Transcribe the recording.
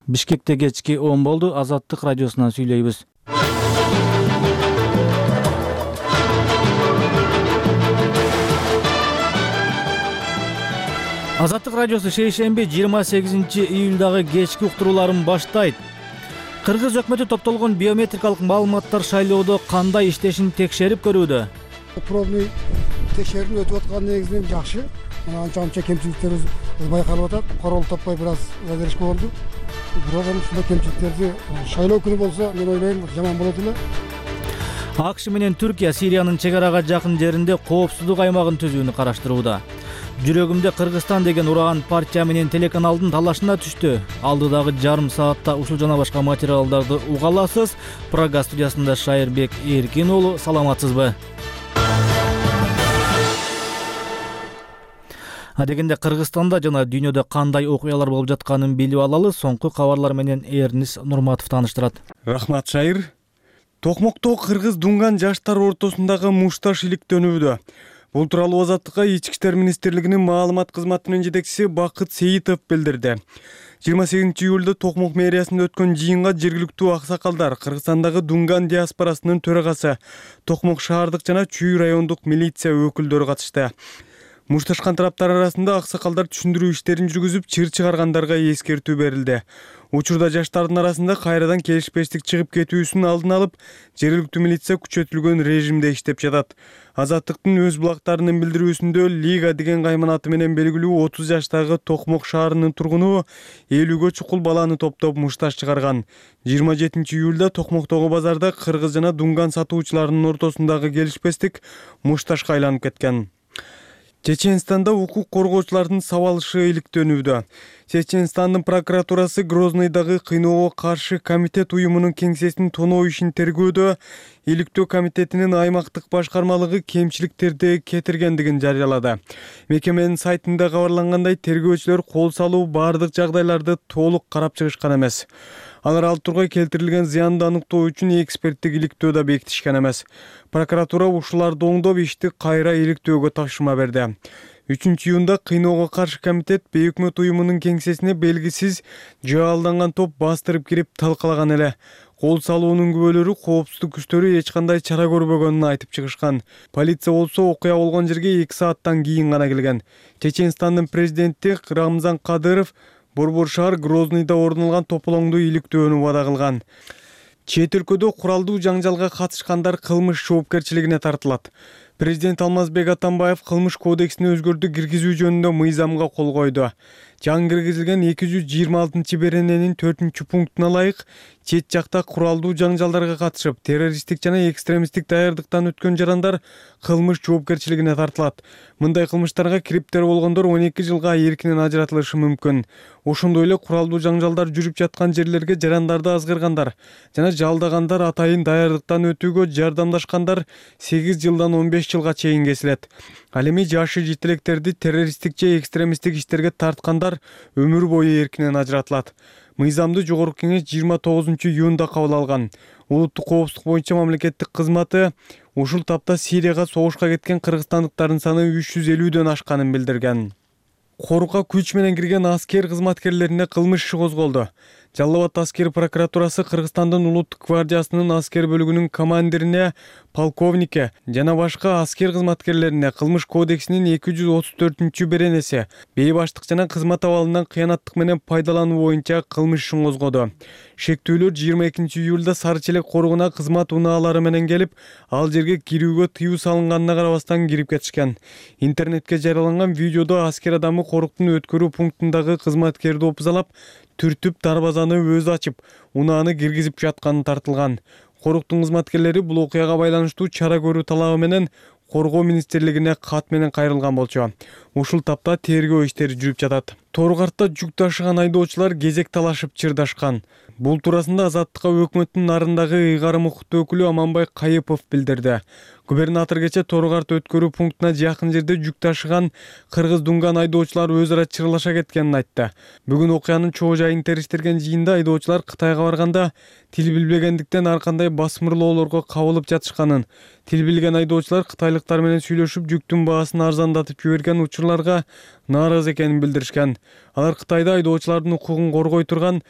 Бишкекте кечки 10 болду. Азаттык радиосунан сүйлөйбүз. Азаттык радиосу шейшемби 28-июлдагы кечки уктурууларын баштайт. Кыргыз өкмөтү топтолгон биометрикалык маалыматтар шайлоодо кандай иштешин текшерип көрүүдө. Пробный текшерүү өтүп аткан негизинен жакшы. Анча-мынча кемчиликтерибиз байкалып атат. Корол таппай бир аз задержка болду. Бирок ушундай кемчиликтерди шайлоо күнү болсо, мен ойлойм, жаман болот эле. АКШ менен Түркия Сириянын чек арага жакын жеринде коопсуздук аймагын түзүүнү караштырууда. Жүрөгүмдө Кыргызстан деген ураган партия менен телеканалдын талашына түштү. Алдыдагы жарым саатта ушул жана башка материалдарды уга аласыз. Прага студиясында Шайырбек Эркин уулу, саламатсызбы? Адегенде Кыргызстанда жана дүйнөдө кандай окуялар болуп жатканын билип алалы. Соңку кабарлар менен Эрнис Нурматов тааныштырат. Рахмат, Шайыр. Токмокто кыргыз дунган жаштар ортосундагы мушташ иликтөнүүдө. Бул тууралуу Азаттыкка Ички иштер министрлигинин маалымат кызматынын жетекчиси Бакыт Сейитов билдирди. 28-июлда Токмок мэриясында өткөн жыйынга жергиликтүү аксакалдар, Кыргызстандагы дунган диаспорасынын төрагасы, Токмок шаардык жана Чүй райондук милиция өкүлдөрү катышты. Мушташкан тараптар арасында аксакалдар түшүндүрүү иштерин жүргүзүп, чыр чыгаргандарга эскертүү берилди. Учурда жаштардын арасында кайрадан келишпештик чыгып кетүүсүн алдын алып, жергиликтүү милиция күчөтүлгөн режимде иштеп жатат. Азаттыктын өз булактарынын билдирүүсүндө Лига деген кайманаты менен белгилүү 30 жаштагы Токмок шаарынын тургуну 50гө чукул баланы топтоп мушташ чыгарган. 27-июлда Токмоктогу базарда кыргыз жана дунган сатуучуларынын ортосундагы келишпестик мушташка айланып кеткен. Чеченстанда укук коргоочулардын сабалышы иликтөнүүдө. Чеченстандын прокуратурасы Грозныйдагы кыйноого каршы комитет уюмунун кеңсесин тоноо ишин тергөөдө иликтөө комитетинин аймактык башкармалыгы кемчиликтерди кетиргендигин жарыялады. Мекеменин сайтында кабарлангандай, тергөөчүлөр кол салуу бардык жагдайларды толук карап чыгышкан эмес. Алар ал тургай келтирилген зыянды аныктоо үчүн эксперттик иликтөө да бекитишкен эмес. Прокуратура ушуларды оңдоп ишти кайра иликтөөгө тапшырма берди. 3-июнда кыйноого каршы комитет бейөкмөт уюмунун кеңсесине белгисиз жаалданган топ бастырып кирип талкалаган эле. Кол салуунун күбөлөрү коопсуздук күчтөрү эч кандай чара көрбөгөнүн айтып чыгышкан. Полиция болсо окуя болгон жерге 2 сааттан кийин гана келген. Чеченстандын президенти Рамзан Кадыров Борбор шаар Грозныйда орун алган тополоңду иликтөөнү вада кылган. Чет өлкөдө куралдуу жаңжалга катышкандар кылмыш жоопкерчилигине тартылат. Президент Алмазбек Атамбаев кылмыш кодексине өзгөртүү киргизүү жөнүндө мыйзамга кол койду. Жаңы киргизилген 226-берененин 4-пунктуна ылайык чет жакта куралдуу жаңжалдарга катышып, террористтик жана экстремисттик даярдыктан өткөн жарандар кылмыш жоопкерчилигине тартылат. Мындай кылмыштарга кириптер болгондор 12 жылга эркинен ажыратылышы мүмкүн. Ошондой эле куралдуу жаңжалдар жүрүп жаткан жерлерге жарандарды азгыргандар жана жалдагандар атайын даярдыктан өтүүгө жардамдашкандар 8 жылдан 15 жылга чейин кесилет. Ал эми жашы жетелектерди террористтик же экстремисттик иштерге тарткандар өмүр бою эркинен ажыратылат. Мыйзамды жогорку кеңеш 29-июнда кабыл алган. Улуттук коопсуздук боюнча мамлекеттик кызматы ушул тапта Сирияга согушка кеткен кыргызстандыктардын саны 350дөн ашканын билдирген. Корукка күч менен кирген аскер кызматкерлерине кылмыш иши козголду. Жалал Абад аскер прокуратурасы Кыргызстандын улуттук гвардиясынын аскер бөлүгүнүн командирине, полковнике жана башка аскер кызматкерлерине кылмыш кодексинин 234-беренеси бейбаштык жана кызмат абалынан кыянаттык менен пайдалануу боюнча кылмыш ишин козгоду. Шектүүлөр 22-июлда Сары Челек коргуна кызмат унаалары менен келип, ал жерге кирүүгө тыюу салынганына карабастан кирип кетишкен. Интернетке жарыяланган видеодо аскер адамы коруктун өткөрүү пунктундагы кызматкерди опузалап, түртүп дарбазаны өзү ачып, унааны киргизип жатканы тартылган. Коруктун кызматкерлери бул окуяга байланыштуу чара көрүү талабы менен Коргоо министрлигине кат менен кайрылган болчу. Ушул тапта тергөө иштери жүрүп жатат. Торгартта жүк ташыган айдоочулар кезек талашып чырдашкан. Бул туурасында Азаттыкка өкмөттүн нарындагы ыйгарым укуктуу өкүлү Аманбай Кайыпов билдирди. Губернатор кече Торгарт өткөрүү пунктуна жакын жерде жүк ташыган кыргыз дунган айдоочулар өз ара чырлаша кеткенин айтты. Бүгүн окуянын чоо жайын териштирген жыйында айдоочулар Кытайга барганда тил билбегендиктен ар кандай басмырлоолорго кабылып жатышканын, тил билген айдоочулар кытайлыктар менен сүйлөшүп жүктүн баасын арзандатып жиберген учурларга нааразы экенин билдиришкен. Алар Кытайда айдоочулардын укугун коргой турган